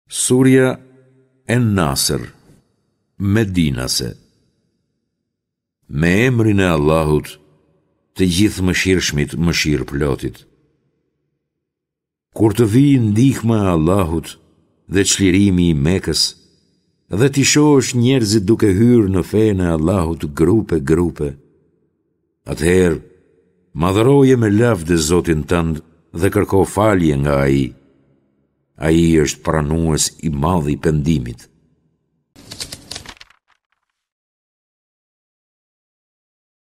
Surja En-Nasr, Medinase Me emrin e Allahut, të Gjithëmëshirshmit Mëshirëplotit. Kur të vijë ndihma e Allahut dhe çlirimi i Mekës, dhe t'i shohësh njerëzit duke hyrë në fenë e Allahut grupe grupe, atëherë madhëroje me lavde Zotin tënd dhe kërko falje nga Ai. Ai është pranues i madh i pendimit.